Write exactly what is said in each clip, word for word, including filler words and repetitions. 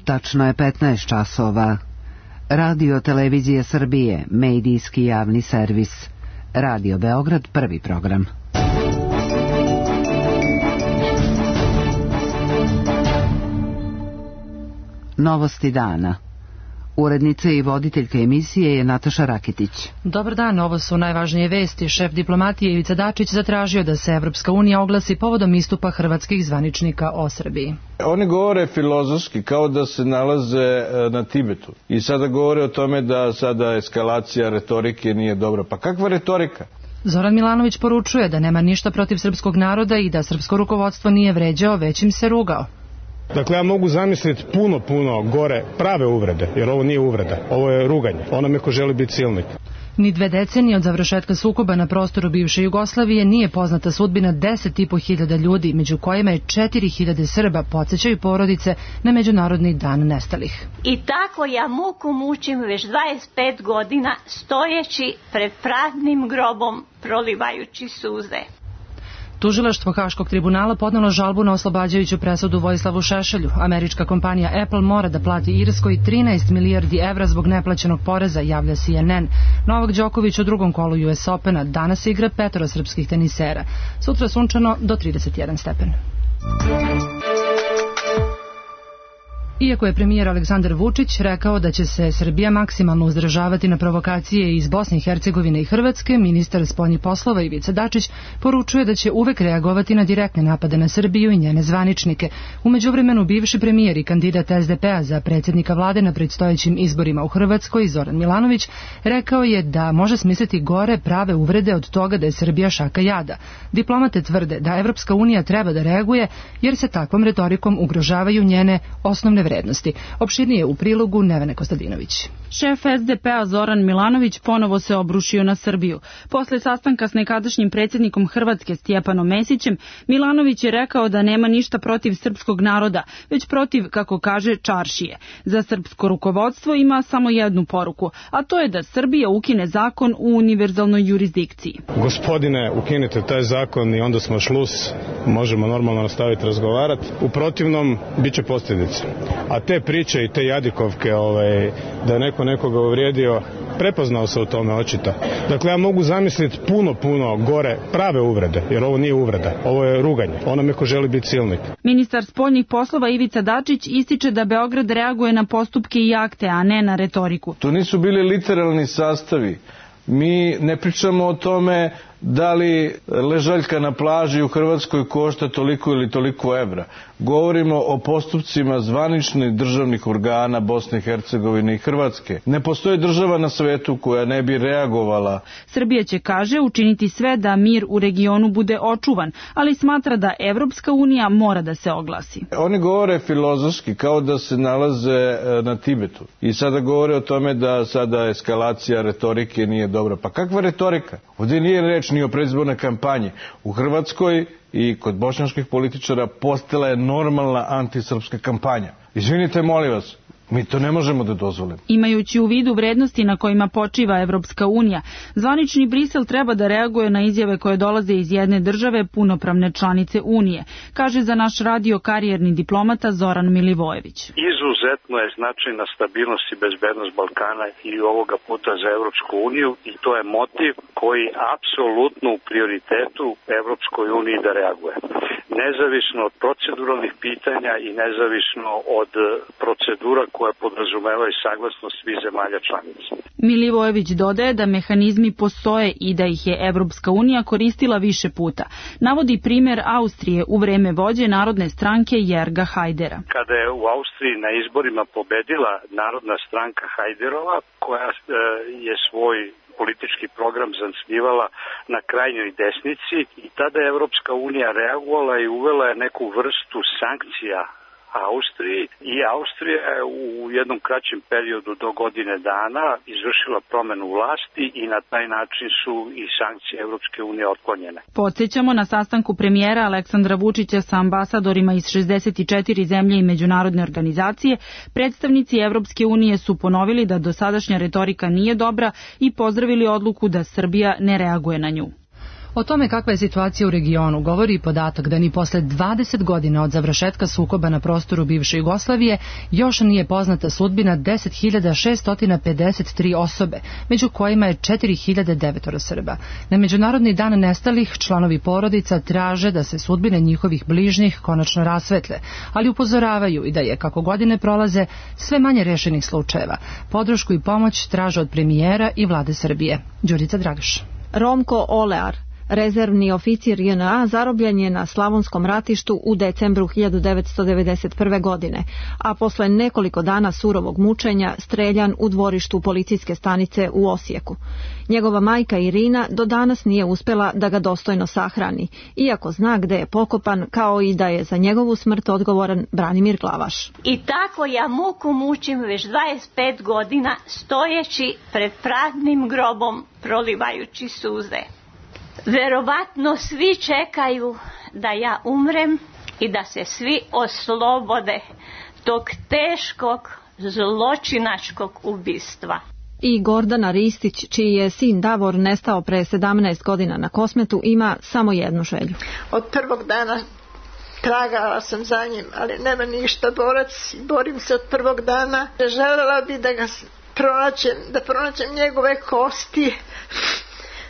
Tačno je petnaest časova. Radio Televizije Srbije, medijski javni servis. Radio Beograd, prvi program. Novosti dana. Urednica i voditeljka emisije je Nataša Rakitić. Dobar dan, ovo su najvažnije vesti. Šef diplomatije Ivica Dačić zatražio da se Evropska unija oglasi povodom istupa hrvatskih zvaničnika o Srbiji. Oni govore filozofski kao da se nalaze na Tibetu i sada govore o tome da sada eskalacija retorike nije dobra. Pa kakva retorika? Zoran Milanović poručuje da nema ništa protiv srpskog naroda i da srpsko rukovodstvo nije vređao, već im se rugao. Dakle, ja mogu zamisliti puno, puno gore prave uvrede, jer ovo nije uvreda, ovo je ruganje onome ko želi biti silnik. Ni dve decenije od završetka sukoba na prostoru bivše Jugoslavije nije poznata sudbina deset i po hiljada ljudi, među kojima je četiri hiljade Srba, podsjećaju porodice na Međunarodni dan nestalih. I tako ja muku mučim već dvadeset pet godina, stojeći pred praznim grobom, prolivajući suze. Tužilaštvo Haškog tribunala podnelo žalbu na oslobađajuću presudu Vojislavu Šešelju. Američka kompanija Apple mora da plati Irskoj trinaest milijardi evra zbog neplaćenog poreza, javlja C N N. Novak Đoković u drugom kolu U S Opena. Danas igra petoro srpskih tenisera. Sutra sunčano do trideset jedan stepen. Iako je premijer Aleksandar Vučić rekao da će se Srbija maksimalno uzdržavati na provokacije iz Bosne i Hercegovine i Hrvatske, ministar spoljnih poslova Ivica Dačić poručuje da će uvek reagovati na direktne napade na Srbiju i njene zvaničnike. U međuvremenu bivši premijer i kandidat S D P A za predsjednika vlade na predstojećim izborima u Hrvatskoj, Zoran Milanović, rekao je da može smisliti gore prave uvrede od toga da je Srbija šaka jada. Diplomate tvrde da Evropska unija treba da reaguje jer se takvom retorikom ugrožavaju njene osnovne vrednosti. Opširnije u prilogu Nevene Kostadinović. Šef S D P A Zoran Milanović ponovo se obrušio na Srbiju. Posle sastanka s nekadašnjim predsjednikom Hrvatske Stjepanom Mesićem, Milanović je rekao da nema ništa protiv srpskog naroda, već protiv, kako kaže, čaršije. Za srpsko rukovodstvo ima samo jednu poruku, a to je da Srbija ukine zakon u univerzalnoj jurisdikciji. Gospodine, ukinite taj zakon i onda smo šlus, možemo normalno nastaviti razgovarati. U protivnom, bit će posljedice. A te priče i te jadikovke, ovaj, da je neko nekoga uvrijedio, prepoznao se u tome očito. Dakle, ja mogu zamisliti puno, puno gore prave uvrede, jer ovo nije uvreda, ovo je ruganje onome ko želi biti silnik. Ministar spoljnih poslova Ivica Dačić ističe da Beograd reaguje na postupke i akte, a ne na retoriku. To nisu bili literalni sastavi. Mi ne pričamo o tome da li ležaljka na plaži u Hrvatskoj košta toliko ili toliko evra. Govorimo o postupcima zvaničnih državnih organa Bosne i Hercegovine i Hrvatske. Ne postoji država na svetu koja ne bi reagovala. Srbija će, kaže, učiniti sve da mir u regionu bude očuvan, ali smatra da Evropska unija mora da se oglasi. Oni govore filozofski kao da se nalaze na Tibetu i sada govore o tome da sada eskalacija retorike nije dobra. Pa kakva retorika? Ovdje nije reč ni o predizbornoj kampanji. U Hrvatskoj i kod bošnjačkih političara postala je normalna antisrpska kampanja. Izvinite, molim vas, mi to ne možemo da dozvolimo. Imajući u vidu vrednosti na kojima počiva Evropska unija, zvanični Brisel treba da reaguje na izjave koje dolaze iz jedne države punopravne članice Unije, kaže za naš radio karijerni diplomata Zoran Milivojević. Izuzetno je značajna stabilnost i bezbednost Balkana i ovoga puta za Evropsku uniju i to je motiv koji apsolutno u prioritetu Evropskoj uniji da reaguje. Nezavisno od proceduralnih pitanja i nezavisno od procedura koje podrazumevaju saglasnost svih zemalja članica. Milivojević dodaje da mehanizmi postoje i da ih je Evropska unija koristila više puta. Navodi primjer Austrije u vreme vođe Narodne stranke Jerga Hajdera. Kada je u Austriji na izborima pobedila Narodna stranka Hajderova, koja je svoj politički program zasnivala na krajnjoj desnici i tada je Evropska unija reagovala i uvela je neku vrstu sankcija Austriji i Austrija je u jednom kraćem periodu do godine dana izvršila promenu vlasti i na taj način su i sankcije Evropske unije otklonjene. Podsjećamo, na sastanku premijera Aleksandra Vučića sa ambasadorima iz šezdeset četiri zemlje i međunarodne organizacije, predstavnici Evropske unije su ponovili da dosadašnja retorika nije dobra i pozdravili odluku da Srbija ne reaguje na nju. O tome kakva je situacija u regionu govori i podatak da ni posle dvadeset godina od završetka sukoba na prostoru bivše Jugoslavije još nije poznata sudbina deset hiljada šessto pedeset tri osobe, među kojima je četiri hiljade devet Srba. Na Međunarodni dan nestalih članovi porodica traže da se sudbine njihovih bližnjih konačno rasvetle, ali upozoravaju i da je, kako godine prolaze, sve manje rešenih slučajeva. Podršku i pomoć traže od premijera i vlade Srbije. Đurica Dragaš. Romko Olear, rezervni oficir J N A, zarobljen je na Slavonskom ratištu u decembru hiljadu devetsto devedeset prve. godine, a posle nekoliko dana surovog mučenja streljan u dvorištu policijske stanice u Osijeku. Njegova majka Irina do danas nije uspela da ga dostojno sahrani, iako zna gde je pokopan, kao i da je za njegovu smrt odgovoran Branimir Glavaš. I tako ja muku mučim već dvadeset pet godina, stojeći pred praznim grobom, prolivajući suze. Verovatno svi čekaju da ja umrem i da se svi oslobode tog teškog zločinačkog ubistva. I Gordana Ristić, čiji je sin Davor nestao pre sedamnaest godina na Kosmetu, ima samo jednu želju. Od prvog dana tragala sam za njim, ali nema ništa, borac, borim se od prvog dana. Želela bi da ga pronađem, da pronađem njegove kosti,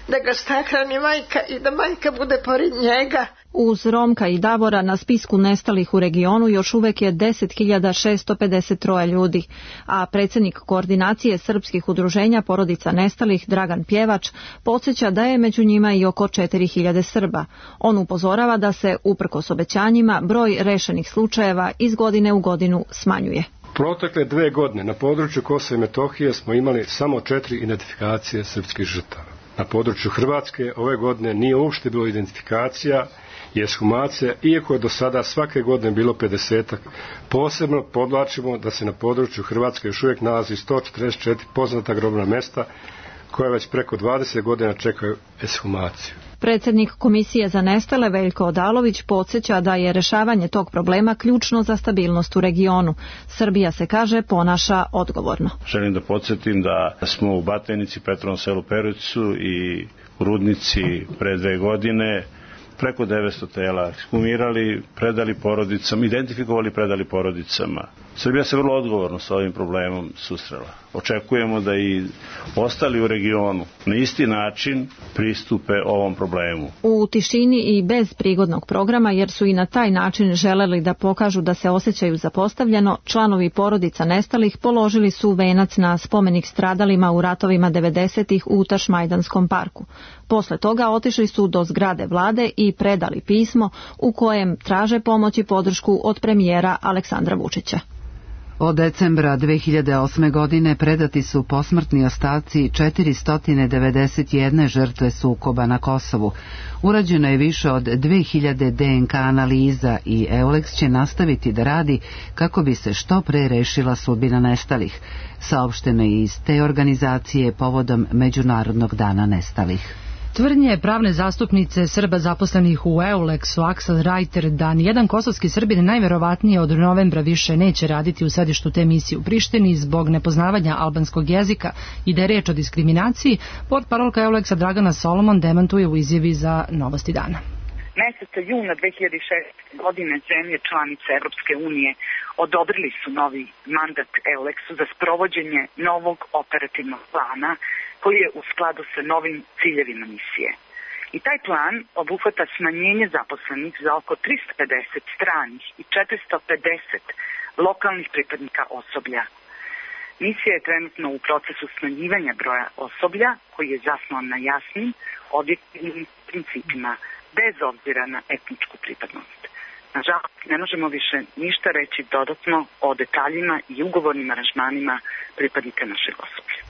da ga sahrani majka i da majka bude pored njega. Uz Romka i Davora na spisku nestalih u regionu još uvek je deset hiljada šessto pedeset tri ljudi, a predsjednik koordinacije srpskih udruženja porodica nestalih Dragan Pjevač podsjeća da je među njima i oko četiri hiljade Srba. On upozorava da se, uprkos obećanjima, broj rešenih slučajeva iz godine u godinu smanjuje. Protekle dve godine na području Kosova i Metohije smo imali samo četiri identifikacije srpskih žrtava. Na području Hrvatske ove godine nije uopšte bilo identifikacija i ekshumacija, iako je do sada svake godine bilo pedesetak. Posebno podvlačimo da se na području Hrvatske još uvijek nalazi sto četrdeset četiri poznata grobna mesta koja već preko dvadeset godina čekaju ekshumaciju. Predsjednik Komisije za nestale Veljko Odalović podsjeća da je rešavanje tog problema ključno za stabilnost u regionu. Srbija se, kaže, ponaša odgovorno. Želim da podsjetim da smo u Batajnici, Petrovom selu Perućcu i u Rudnici pre dve godine preko devetsto tela ekshumirali, predali porodicama, identifikovali, predali porodicama. Srbija se vrlo odgovorno sa ovim problemom susrela. Očekujemo da i ostali u regionu na isti način pristupe ovom problemu. U tišini i bez prigodnog programa, jer su i na taj način želeli da pokažu da se osjećaju zapostavljeno, članovi porodica nestalih položili su venac na spomenik stradalima u ratovima devedesetih u Tašmajdanskom parku. Posle toga otišli su do zgrade vlade i predali pismo u kojem traže pomoć i podršku od premijera Aleksandra Vučića. Od decembra dve hiljade osme. godine predati su posmrtni ostaci četiristo devedeset jedne žrtve sukoba na Kosovu. Urađeno je više od dve hiljade D N K analiza i EULEX će nastaviti da radi kako bi se što pre rešila sudbina nestalih. Saopšteno je iz te organizacije povodom Međunarodnog dana nestalih. Tvrdnje pravne zastupnice Srba zaposlenih u EULEX-u Aksel Rajter da nijedan kosovski Srbin najverovatnije od novembra više neće raditi u sedištu te misije u Prištini zbog nepoznavanja albanskog jezika i da je reč o diskriminaciji, portparolka EULEX-a Dragana Solomon demantuje u izjavi za Novosti dana. Meseca juna dve hiljade šeste. godine zemlje članice Evropske unije odobrili su novi mandat EULEX-u za sprovođenje novog operativnog plana koji je u skladu sa novim ciljevima misije. I taj plan obuhvata smanjenje zaposlenih za oko tristo pedeset stranih i četiristo pedeset lokalnih pripadnika osoblja. Misija je trenutno u procesu smanjivanja broja osoblja koji je zasnovan na jasnim, objektivnim principima bez obzira na etničku pripadnost. Nažalost, ne možemo više ništa reći dodatno o detaljima i ugovornim aranžmanima pripadnika našeg osoblja.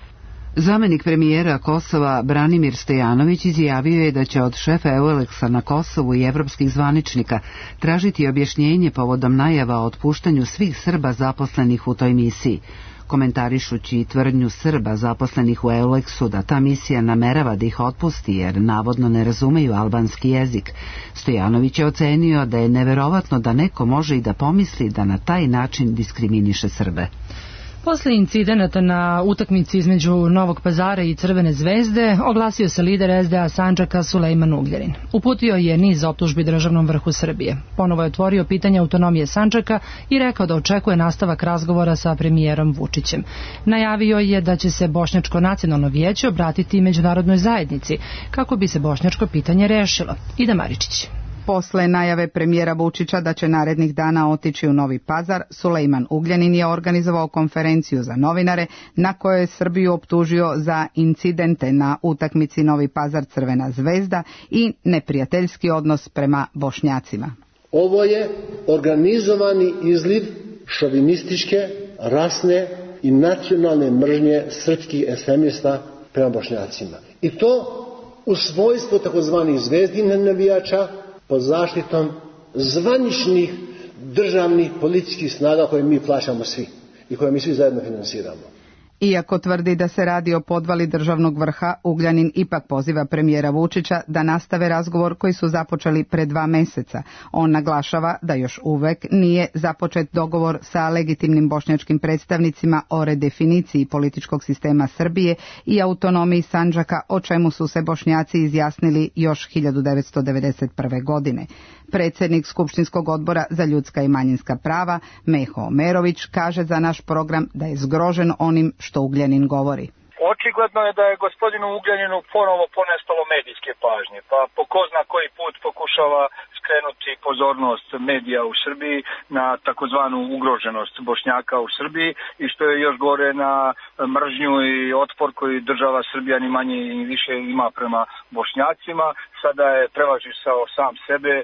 Zamenik premijera Kosova Branimir Stojanović izjavio je da će od šefa EULEX-a na Kosovu i evropskih zvaničnika tražiti objašnjenje povodom najava o otpuštanju svih Srba zaposlenih u toj misiji. Komentarišući tvrdnju Srba zaposlenih u EULEX-u da ta misija namerava da ih otpusti jer navodno ne razumeju albanski jezik, Stojanović je ocenio da je neverovatno da neko može i da pomisli da na taj način diskriminiše Srbe. Posle incidenata na utakmici između Novog Pazara i Crvene zvezde oglasio se lider es de a Sandžaka Sulejman Ugljanin. Uputio je niz optužbi državnom vrhu Srbije. Ponovo je otvorio pitanje autonomije Sandžaka i rekao da očekuje nastavak razgovora sa premijerom Vučićem. Najavio je da će se Bošnjačko nacionalno vijeće obratiti međunarodnoj zajednici kako bi se bošnjačko pitanje rešilo. Ida Maričić. Posle najave premijera Vučića da će narednih dana otići u Novi Pazar, Sulejman Ugljanin je organizovao konferenciju za novinare na kojoj je Srbiju optužio za incidente na utakmici Novi Pazar Crvena zvezda i neprijateljski odnos prema Bošnjacima. Ovo je organizovani izliv šovinističke, rasne i nacionalne mržnje srpskih ekstremista prema Bošnjacima. I to u svojstvu takozvanih zvezdinih navijača pod zaštitom zvaničnih državnih policijskih snaga koje mi plaćamo svi i koje mi svi zajedno finansiramo. Iako tvrdi da se radi o podvali državnog vrha, Ugljanin ipak poziva premijera Vučića da nastave razgovor koji su započeli pre dva meseca. On naglašava da još uvek nije započet dogovor sa legitimnim bošnjačkim predstavnicima o redefiniciji političkog sistema Srbije i autonomiji Sandžaka, o čemu su se Bošnjaci izjasnili još hiljadu devetsto devedeset prve. godine. Predsjednik Skupštinskog odbora za ljudska i manjinska prava, Meho Omerović, kaže za naš program da je zgrožen onim što Ugljanin govori. Očigledno je da je gospodinu Ugljaninu ponovo ponestalo medijske pažnje, pa po ko zna koji put pokušava skrenuti pozornost medija u Srbiji na takozvanu ugroženost Bošnjaka u Srbiji i što je još gore na mržnju i otpor koji država Srbija ni manje ni više ima prema Bošnjacima. Sada je prevažisao sam sebe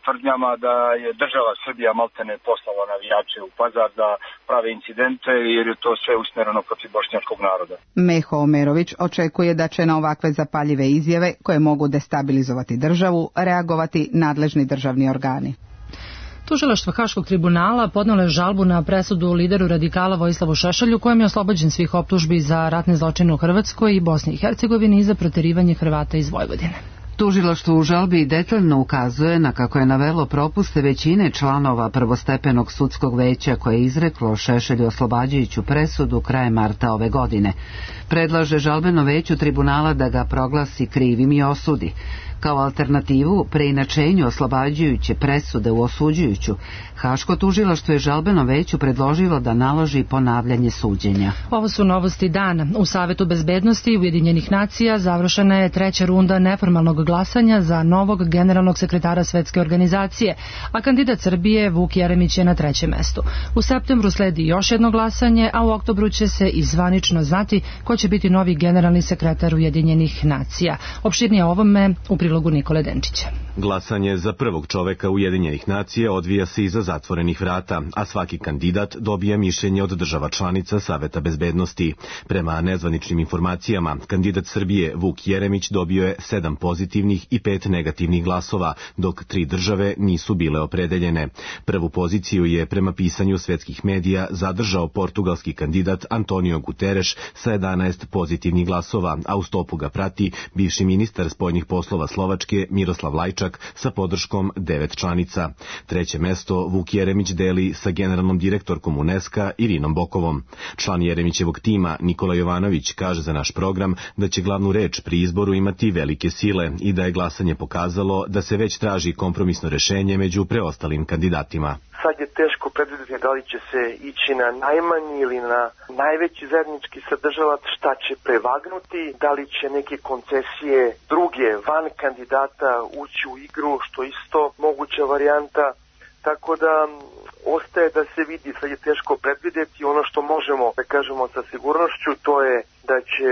tvrdnjama da je država Srbija maltene poslala navijače u Pazar da prave incidente jer je to sve usmjereno protiv bošnjačkog naroda. Meho Omerović očekuje da će na ovakve zapaljive izjave koje mogu destabilizovati državu reagovati nadležni državni organi. Tužilaštvo Haškog tribunala podnelo je žalbu na presudu lideru radikala Vojislavu Šešelju, kojem je oslobođen svih optužbi za ratne zločine u Hrvatskoj i Bosni i Hercegovini i za proterivanje Hrvata iz Vojvodine. Tužilaštvo u žalbi detaljno ukazuje na kako je navelo propuste većine članova prvostepenog sudskog veća koje je izreklo Šešelju oslobađajuću presudu krajem marta ove godine. Predlaže žalbeno veću tribunala da ga proglasi krivim i osudi. Kao alternativu preinačenju oslobađajuće presude u osuđujuću, Haško tužilaštvo je žalbeno veću predložilo da naloži ponavljanje suđenja. Ovo su novosti dana. U Savetu bezbednosti Ujedinjenih nacija završena je treća runda neformalnog glasanja za novog generalnog sekretara Svetske organizacije, a kandidat Srbije Vuk Jeremić je na trećem mestu. U septembru sledi još jedno glasanje, a u oktobru će se i zvanično znati ko će biti novi generalni sekretar Ujedinjenih nacija. Opširnije o ovome u prilogu Nikole Denčića. Glasanje za prvog čoveka Ujedinjenih nacija odvija se iza zatvorenih vrata, a svaki kandidat dobija mišljenje od država članica Saveta bezbednosti. Prema nezvaničnim informacijama, kandidat Srbije Vuk Jeremić dobio je sedam pozitivnih i pet negativnih glasova, dok tri države nisu bile opredeljene. Prvu poziciju je prema pisanju svetskih medija zadržao portugalski kandidat Antonio Guterres sa jedanaest pozitivnih glasova, a u stopu ga prati bivši ministar spoljnih poslova Slovačke Miroslav Lajčak sa podrškom devet članica. Treće mesto Vuk Jeremić deli sa generalnom direktorkom UNESCO Irinom Bokovom. Član Jeremićevog tima Nikola Jovanović kaže za naš program da će glavnu reč pri izboru imati velike sile i da je glasanje pokazalo da se već traži kompromisno rešenje među preostalim kandidatima. Sad je teško predvidjeti da li će se ići na najmanji ili na najveći zajednički sadržavac, šta će prevagnuti, da li će neke koncesije druge van kandidata ući u igru, što isto moguća varijanta. Tako da ostaje da se vidi, sad je teško predvidjeti. Ono što možemo da kažemo sa sigurnošću, to je da će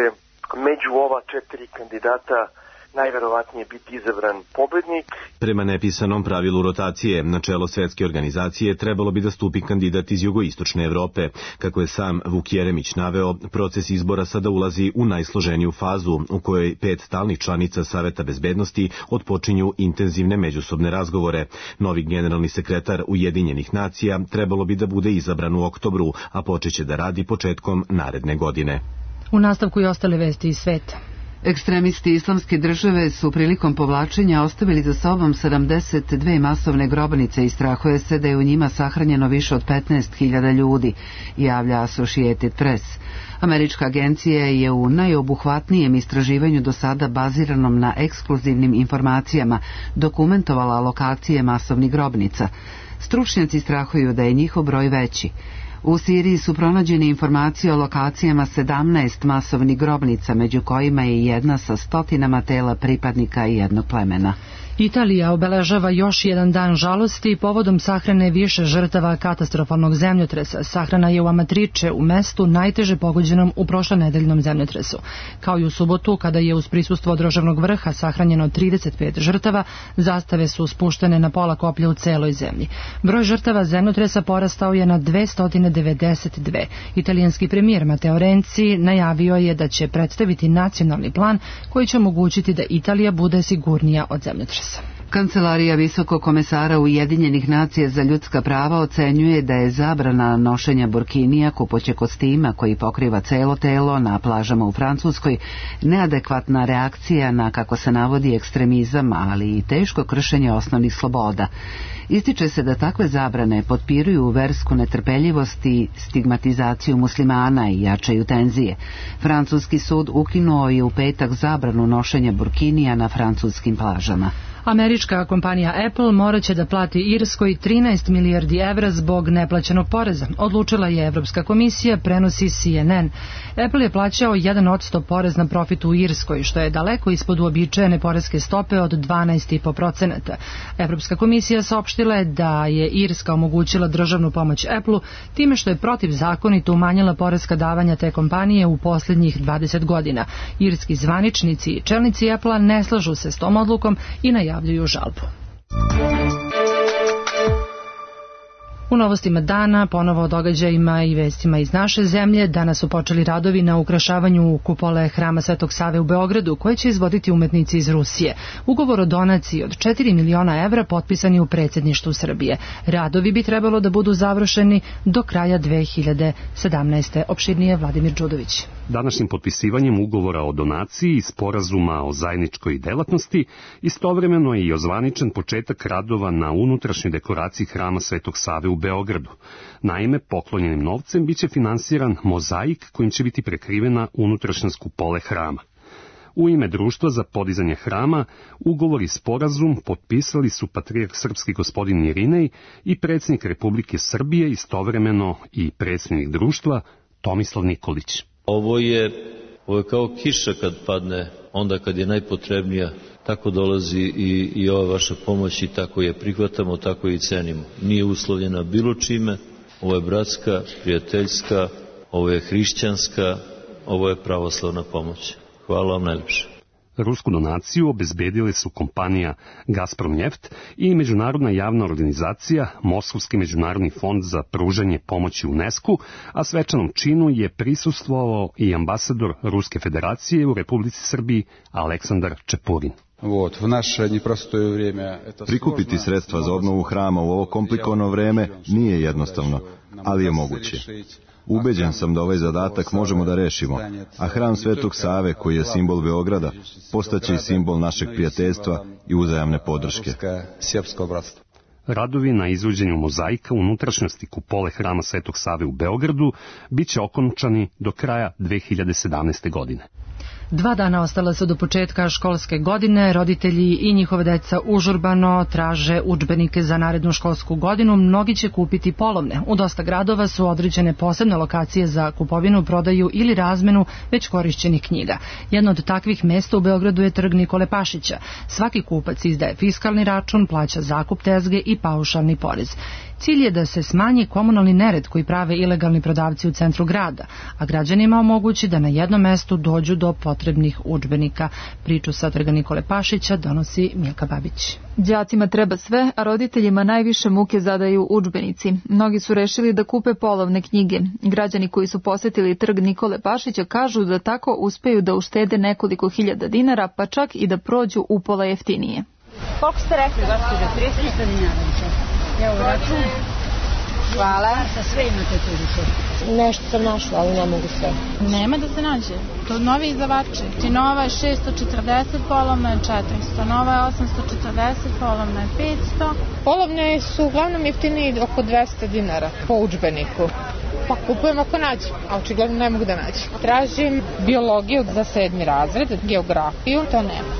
među ova četiri kandidata najverovatnije biti izabran pobednik. Prema nepisanom pravilu rotacije, na čelo Svetske organizacije trebalo bi da stupi kandidat iz jugoistočne Evrope. Kako je sam Vuk Jeremić naveo, proces izbora sada ulazi u najsloženiju fazu, u kojoj pet stalnih članica Saveta bezbednosti otpočinju intenzivne međusobne razgovore. Novi generalni sekretar Ujedinjenih nacija trebalo bi da bude izabran u oktobru, a počeće da radi početkom naredne godine. U nastavku i ostale vesti iz sveta. Ekstremisti Islamske države su prilikom povlačenja ostavili za sobom sedamdeset dve masovne grobnice i strahuje se da je u njima sahranjeno više od petnaest hiljada ljudi, javlja Associated Press. Američka agencija je u najobuhvatnijem istraživanju do sada baziranom na ekskluzivnim informacijama dokumentovala lokacije masovnih grobnica. Stručnjaci strahuju da je njihov broj veći. U Siriji su pronađene informacije o lokacijama sedamnaest masovnih grobnica, među kojima je jedna sa stotinama tela pripadnika jednog plemena. Italija obeležava još jedan dan žalosti povodom sahrane više žrtava katastrofalnog zemljotresa. Sahrana je u Amatrice, u mestu najteže pogođenom u prošlonedeljnom zemljotresu. Kao i u subotu, kada je uz prisustvo državnog vrha sahranjeno trideset pet žrtava, zastave su spuštene na pola koplja u celoj zemlji. Broj žrtava zemljotresa porastao je na dvesta devedeset dve. Italijanski premijer Matteo Renzi najavio je da će predstaviti nacionalni plan koji će omogućiti da Italija bude sigurnija od zemljotresa. Kancelarija visokog komesara Ujedinjenih nacija za ljudska prava ocenjuje da je zabrana nošenja burkinija, kupoće kostima koji pokriva celo telo na plažama u Francuskoj, neadekvatna reakcija na, kako se navodi, ekstremizam, ali i teško kršenje osnovnih sloboda. Ističe se da takve zabrane potpiruju versku netrpeljivost i stigmatizaciju muslimana i jačaju tenzije. Francuski sud ukinuo je u petak zabranu nošenja burkinija na francuskim plažama. Američka kompanija Apple morat će da plati Irskoj trinaest milijardi evra zbog neplaćenog poreza. Odlučila je Evropska komisija, prenosi C N N. Apple je plaćao jedan posto porez na profit u Irskoj, što je daleko ispod uobičajene poreske stope od dvanaest zarez pet posto. Evropska komisija saopštila je da je Irska omogućila državnu pomoć Apple-u time što je protivzakonito umanjila poreska davanja te kompanije u posljednjih dvadeset godina. Irski zvaničnici i čelnici Apple-a ne slažu se s tom odlukom i najavljuju žalbu. U novostima dana, ponovo o događajima i vestima iz naše zemlje, danas su počeli radovi na ukrašavanju kupole Hrama Svetog Save u Beogradu, koje će izvoditi umetnici iz Rusije. Ugovor o donaciji od četiri miliona evra potpisan je u predsjedništvu Srbije. Radovi bi trebalo da budu završeni do kraja dve hiljade sedamnaeste. Opširnije Vladimir Đudović. Današnjim potpisivanjem ugovora o donaciji i sporazuma o zajedničkoj delatnosti istovremeno je i ozvaničen početak radova na unutrašnjoj dekoraciji Hrama Svetog Save u Beogradu. Naime, poklonjenim novcem biće finansiran mozaik kojim će biti prekrivena unutrašnjost kupole hrama. U ime Društva za podizanje hrama ugovor i sporazum potpisali su patrijarh srpski gospodin Irinej i predsjednik Republike Srbije, istovremeno i predsjednik društva Tomislav Nikolić. Ovo je, ovo je kao kiša kad padne, onda kad je najpotrebnija, tako dolazi i, i ova vaša pomoć i tako je prihvatamo, tako je i cenimo. Nije uslovljena bilo čime, ovo je bratska, prijateljska, ovo je hrišćanska, ovo je pravoslavna pomoć. Hvala vam najljepše. Rusku donaciju obezbedile su kompanija Gazprom Neft i međunarodna javna organizacija Moskovski međunarodni fond za pružanje pomoći UNESCO, a svečanom činu je prisustvovao i ambasador Ruske federacije u Republici Srbiji Aleksandar Čepurin. Prikupiti sredstva za obnovu hrama u ovo komplikovano vreme nije jednostavno, ali je moguće. Ubeđen sam da ovaj zadatak možemo da rešimo, a hram Svetog Save, koji je simbol Beograda, postaće i simbol našeg prijateljstva i uzajamne podrške. Radovi na izvođenju mozaika unutrašnjosti kupole Hrama Svetog Save u Beogradu biće okončani do kraja dve hiljade sedamnaeste. godine. Dva dana ostala su do početka školske godine, roditelji i njihove deca užurbano traže udžbenike za narednu školsku godinu, mnogi će kupiti polovne. U dosta gradova su određene posebne lokacije za kupovinu, prodaju ili razmenu već korišćenih knjiga. Jedno od takvih mesta u Beogradu je trg Nikole Pašića. Svaki kupac izdaje fiskalni račun, plaća zakup tezge i paušalni porez. Cilj je da se smanji komunalni nered koji prave ilegalni prodavci u centru grada, a građanima omogući da na jednom mestu dođu do potrebnih udžbenika. Priču sa trga Nikole Pašića donosi Milka Babić. Đacima treba sve, a roditeljima najviše muke zadaju udžbenici. Mnogi su rešili da kupe polovne knjige. Građani koji su posetili trg Nikole Pašića kažu da tako uspeju da uštede nekoliko hiljada dinara, pa čak i da prođu upola jeftinije. Koliko ste rekli, gospođo? trideset dinara. Evo račun. Hvala. Sve imate tu više. Nešto sam našla, ali ne mogu sve. Nema da se nađe. To novi izdavači. Nova je šesto četrdeset, polovna je četiristo. Nova je osamsto četrdeset, polovna je petsto. Polovne su uglavnom jeftiniji oko dvesta dinara po udžbeniku. Pa kupujem ako nađem, a očigledno ne mogu da nađem. Tražim biologiju za sedmi razred, geografiju, to nema.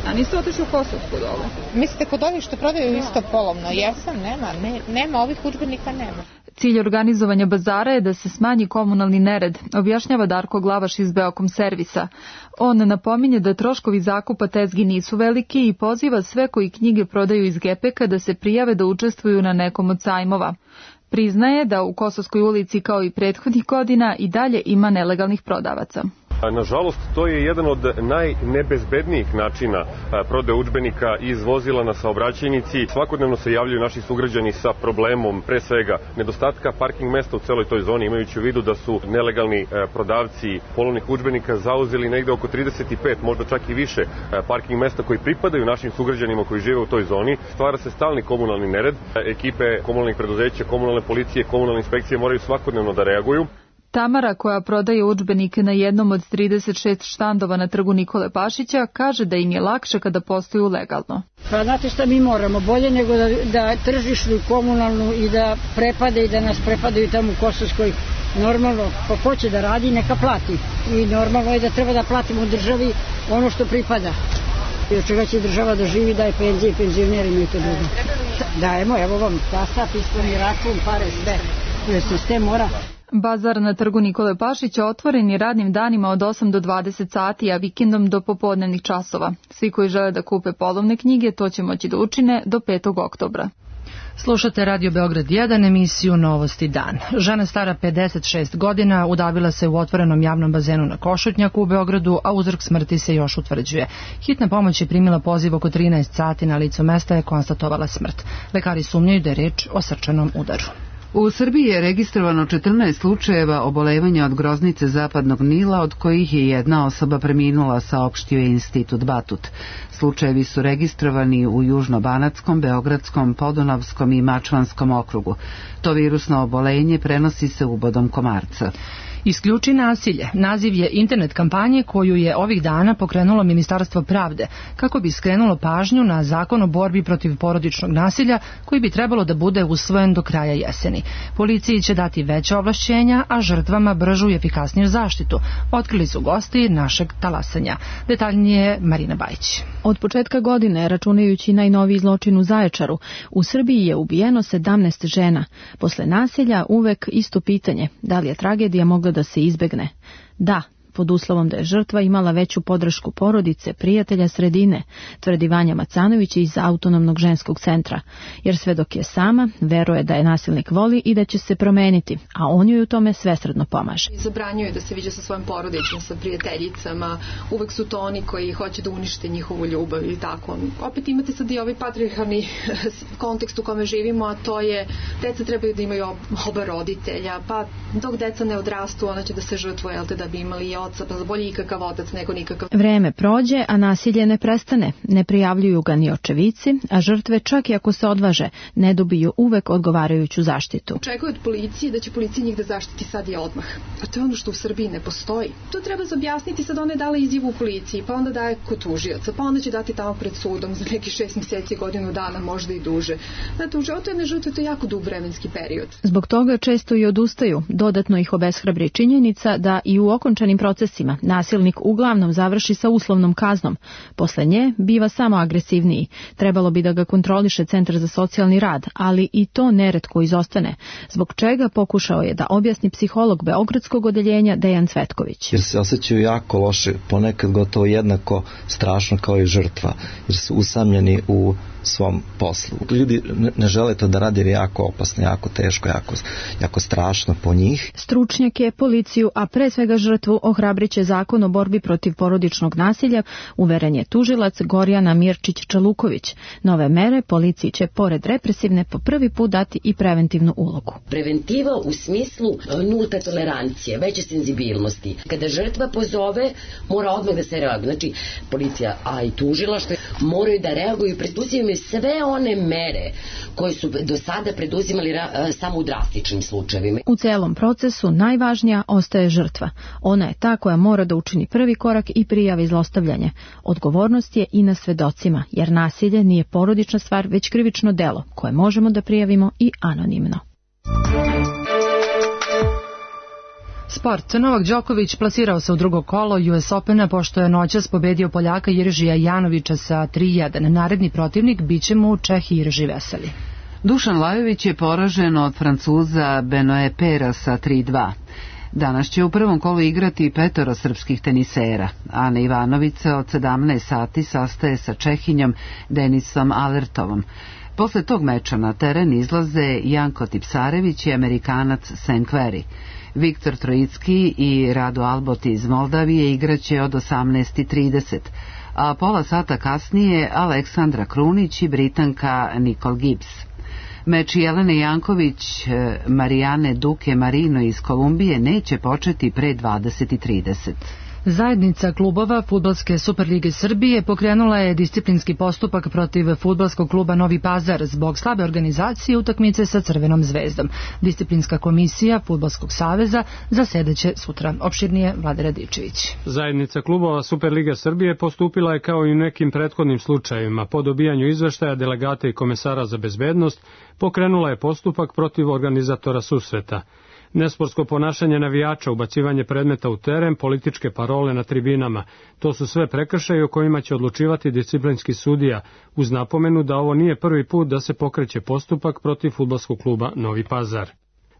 A niste otišli u Kosovsku dole? Mislite kod ovih što prodaju isto polovno? Jesam, nema, ne, nema, ovih udžbenika nema. Cilj organizovanja bazara je da se smanji komunalni nered, objašnjava Darko Glavaš iz Beokom servisa. On napominje da troškovi zakupa tezgi nisu veliki i poziva sve koji knjige prodaju iz Gepeka da se prijave da učestvuju na nekom od sajmova. Priznaje da u Kosovskoj ulici kao i prethodnih godina i dalje ima nelegalnih prodavaca. Nažalost, to je jedan od najnebezbednijih načina prodaje udžbenika iz vozila na saobraćajnici. Svakodnevno se javljaju naši sugrađani sa problemom, pre svega, nedostatka parking mesta u celoj toj zoni, imajući u vidu da su nelegalni prodavci polovnih udžbenika zauzeli negde oko trideset pet, možda čak i više parking mesta koji pripadaju našim sugrađanima koji žive u toj zoni. Stvara se stalni komunalni nered. Ekipe komunalnih preduzeća, komunalne policije, komunalne inspekcije moraju svakodnevno da reaguju. Tamara, koja prodaje udžbenike na jednom od trideset šest štandova na trgu Nikole Pašića, kaže da im je lakše kada posluju legalno. Pa znate šta mi moramo? Bolje nego da, da tržišnu, komunalnu i da prepade i da nas prepadaju tamo u Kosovskoj. Normalno, ko hoće da radi, neka plati. I normalno je da treba da platimo državi ono što pripada. I od čega će država da živi, daje penzije, penzionerima i to drugo. Dajemo, evo vam, tasta, pismeni račun, pare, sve. Jer sistem mora... Bazar na trgu Nikole Pašića otvoren je radnim danima od osam do dvadeset sati, a vikendom do popodnevnih časova. Svi koji žele da kupe polovne knjige to će moći da učine do petog oktobra. Slušate Radio Beograd jedan, emisiju Novosti dan. Žena stara pedeset šest godina udavila se u otvorenom javnom bazenu na Košutnjaku u Beogradu, a uzrok smrti se još utvrđuje. Hitna pomoć je primila poziv oko trinaest sati, na licu mesta je konstatovala smrt. Lekari sumnjaju da je reč o srčanom udaru. U Srbiji je registrovano četrnaest slučajeva obolevanja od groznice zapadnog Nila, od kojih je jedna osoba preminula, saopštio je Institut Batut. Slučajevi su registrovani u Južno-Banatskom, Beogradskom, Podunavskom i Mačvanskom okrugu. To virusno obolenje prenosi se ubodom komarca. Isključi nasilje. Naziv je internet kampanje koju je ovih dana pokrenulo Ministarstvo pravde, kako bi skrenulo pažnju na zakon o borbi protiv porodičnog nasilja, koji bi trebalo da bude usvojen do kraja jeseni. Policiji će dati veća ovlašćenja, a žrtvama bržu i efikasniju zaštitu, otkrili su gosti našeg talasanja. Detaljnije Marina Bajić. Od početka godine, računajući najnoviji zločin u Zaječaru, u Srbiji je ubijeno sedamnaest žena. Posle nasilja uvek isto pitanje, da li je tragedija mogla da se izbegne? Da, pod uslovom da je žrtva imala veću podršku porodice, prijatelja, sredine, tvrdi Vanja Macanović iz Autonomnog ženskog centra, jer sve dok je sama, veruje da je nasilnik voli i da će se promeniti, a on joj u tome svesrdno pomaže. Zabranjuje da se viđa sa svojim porodicom, sa prijateljicama, uvek su to oni koji hoće da unište njihovu ljubav i tako. Opet imate sad i ovaj patrijarhalni kontekst u kome živimo, a to je deca trebaju da imaju oba roditelja, pa dok deca ne odrastu, ona će da se žrtvuje, jel te, da bi imali i oca, pa bolje ikakav otac nego nikakav. Vreme prođe, a nasilje ne prestane. Ne prijavljuju ga ni očevici, a žrtve, čak i ako se odvaže, ne dobiju uvek odgovarajuću zaštitu. Očekuju od policije da će policija njih da zaštiti sad i odmah. A to je ono što u Srbiji ne postoji. To treba objasniti, sad ona je dala izjavu u policiji, pa onda daje kod tužioca, pa onda će dati tamo pred sudom za neki šest mjeseci, godinu dana, možda i duže. Znate, u životu jedne žrtve to je jako dug vremenski period. Zbog toga često i odustaju. Dodatno ih obeshrabri činjenica da i u okončanim procesima nasilnik uglavnom završi sa uslovnom kaznom. Posle nje biva samo agresivniji. Trebalo bi da ga kontroliše Centar za socijalni rad, ali i to neretko izostane, zbog čega pokušao je da objasni psiholog Beogradskog odeljenja Dejan Cvetković. Jer se osjećaju jako loše, ponekad gotovo jednako strašno kao i žrtva, jer su usamljeni u svom poslu. Ljudi ne žele to da radi jer je jako opasno, jako teško, jako, jako strašno po njih. Stručnjake, policiju, a pre svega žrtvu ohrabriće zakon o borbi protiv porodičnog nasilja, uveren je tužilac Gorjana Mirčić-Čaluković. Nove mere policiji će pored represivne po prvi put dati i preventivnu ulogu. Preventiva u smislu nulte tolerancije, veće senzibilnosti. Kada žrtva pozove, mora odmah da se reaguje. Znači, policija, a i tužilaštvo moraju da reaguju. Pretpostavljam preduzimaju sve one mere koje su do sada preduzimali samo u drastičnim slučajevima. U celom procesu najvažnija ostaje žrtva. Ona je ta koja mora da učini prvi korak i prijavi zlostavljanje. Odgovornost je i na svedocima, jer nasilje nije porodična stvar, već krivično delo, koje možemo da prijavimo i anonimno. Sport. Novak Đoković plasirao se u drugo kolo U S Opena pošto je noćas pobedio Poljaka Jiržija Janovića sa tri jedan. Naredni protivnik biće mu Čeh Jirži Veseli. Dušan Lajović je poražen od Francuza Benoe Pera sa tri dva. Danas će u prvom kolu igrati petoro srpskih tenisera. Ana Ivanovića od sedamnaest sati sastaje sa Čehinjom Denisom Alertovom. Posle tog meča na teren izlaze Janko Tipsarević i Amerikanac Senkveri. Viktor Trojicki i Rado Albot iz Moldavije igraće od osamnaest trideset, a pola sata kasnije Aleksandra Krunić i Britanka Nicole Gibbs. Meč Jelene Janković, Marijane Duke Marino iz Kolumbije neće početi pre dvadeset trideset. Zajednica klubova Fudbalske Superlige Srbije pokrenula je disciplinski postupak protiv Fudbalskog kluba Novi Pazar zbog slabe organizacije utakmice sa Crvenom zvezdom. Disciplinska komisija Fudbalskog saveza zasedaće sutra. Opširnije Vlade Radičević. Zajednica klubova Superliga Srbije postupila je kao i u nekim prethodnim slučajevima. Po dobijanju izveštaja delegata i komesara za bezbednost pokrenula je postupak protiv organizatora susreta. Nesportsko ponašanje navijača, ubacivanje predmeta u teren, političke parole na tribinama, to su sve prekršaji o kojima će odlučivati disciplinski sudija, uz napomenu da ovo nije prvi put da se pokreće postupak protiv fudbalskog kluba Novi Pazar.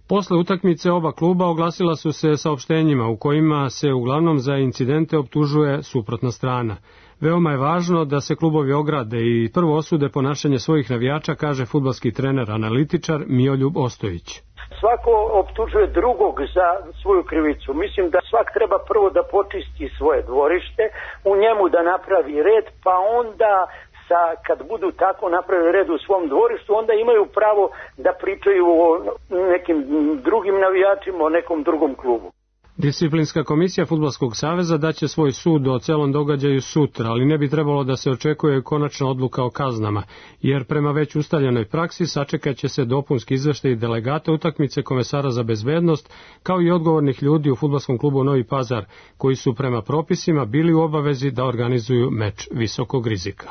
Posle utakmice oba kluba oglasila su se saopštenjima u kojima se uglavnom za incidente optužuje suprotna strana. Veoma je važno da se klubovi ograde i prvo osude ponašanje svojih navijača, kaže fudbalski trener analitičar Mioljub Ostojić. Svako optužuje drugog za svoju krivicu. Mislim da svak treba prvo da počisti svoje dvorište, u njemu da napravi red, pa onda sa, kad budu tako napravili red u svom dvorištu, onda imaju pravo da pričaju o nekim drugim navijačima, o nekom drugom klubu. Disciplinska komisija Fudbalskog saveza daće svoj sud o celom događaju sutra, ali ne bi trebalo da se očekuje konačna odluka o kaznama, jer prema već ustaljenoj praksi sačekat će se dopunski izveštaj delegata utakmice, komesara za bezbednost, kao i odgovornih ljudi u Fudbalskom klubu Novi Pazar, koji su prema propisima bili u obavezi da organizuju meč visokog rizika.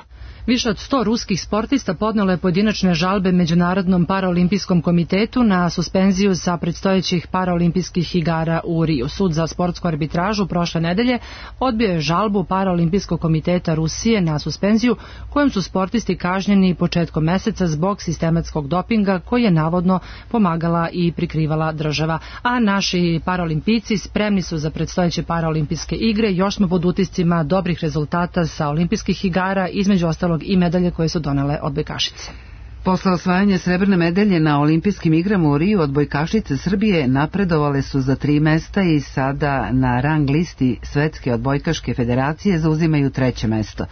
Više od sto ruskih sportista podnelo je pojedinačne žalbe Međunarodnom paraolimpijskom komitetu na suspenziju sa predstojećih paraolimpijskih igara u Riju. Sud za sportsku arbitražu prošle nedelje odbio je žalbu Paraolimpijskog komiteta Rusije na suspenziju kojom su sportisti kažnjeni početkom meseca zbog sistematskog dopinga koji je navodno pomagala i prikrivala država. A naši paraolimpijci spremni su za predstojeće paraolimpijske igre. Još smo pod utiscima dobrih rezultata sa olimpijskih igara, između ostalog i medalje koje su donele odbojkašice. Posle osvajanja srebrne medalje na olimpijskim igrama u Riju, odbojkašice Srbije napredovale su za tri mesta i sada na rang listi Svetske odbojkaške federacije zauzimaju treće mesto.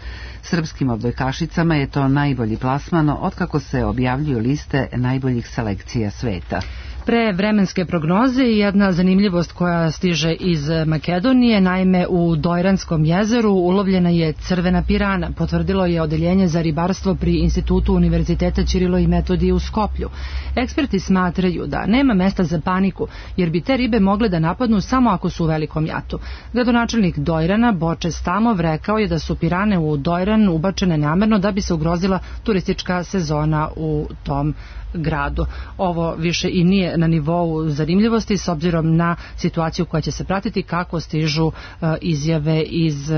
Srpskim odbojkašicama je to najbolji plasman otkako se objavljuju liste najboljih selekcija sveta. Pre vremenske prognoze i jedna zanimljivost koja stiže iz Makedonije, naime u Dojranskom jezeru ulovljena je crvena pirana, potvrdilo je odeljenje za ribarstvo pri Institutu Univerziteta Ćirilo i Metodije u Skoplju. Eksperti smatraju da nema mesta za paniku, jer bi te ribe mogle da napadnu samo ako su u velikom jatu. Gradonačelnik Dojrana, Boče Stamov, rekao je da su pirane u Dojran ubačene namerno da bi se ugrozila turistička sezona u tom gradu. Ovo više i nije na nivou zanimljivosti s obzirom na situaciju koja će se pratiti kako stižu uh, izjave iz uh,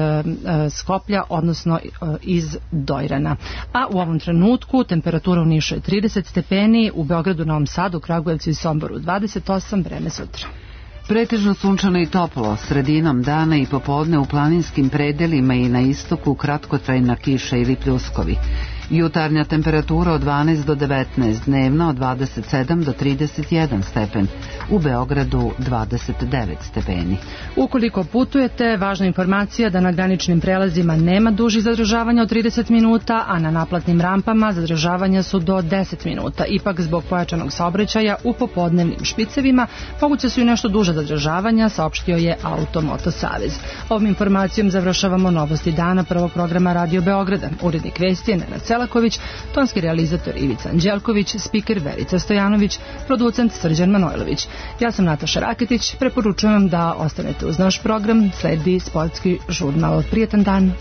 Skoplja, odnosno uh, iz Dojrana. A u ovom trenutku temperatura u Nišu je trideset stepeni, u Beogradu, Novom Sadu, Kragujevcu i Somboru dvadeset osam, vreme sutra. Pretežno sunčano i toplo, sredinom dana i popodne u planinskim predelima i na istoku kratkotrajna kiša ili pljuskovi. Jutarnja temperatura od dvanaest do devetnaest, dnevna od dvadeset sedam do trideset jedan stepen, u Beogradu dvadeset devet stepeni. Ukoliko putujete, važna informacija da na graničnim prelazima nema dužih zadržavanja od trideset minuta, a na naplatnim rampama zadržavanja su do deset minuta. Ipak zbog pojačanog saobraćaja u popodnevnim špicevima moguće su i nešto duže zadržavanja, saopštio je Automoto Savez. Ovom informacijom završavamo novosti dana prvog programa Radio Beograda. Urednik vesti je Nenad Cela. Selaković, tonski realizator Ivica Anđelković, spiker Verica Stojanović, producent Srđan Manojlović. Ja sam Nataša Raketić, preporučujem vam da ostanete uz naš program, sledi sportski žurnal. Prijetan dan!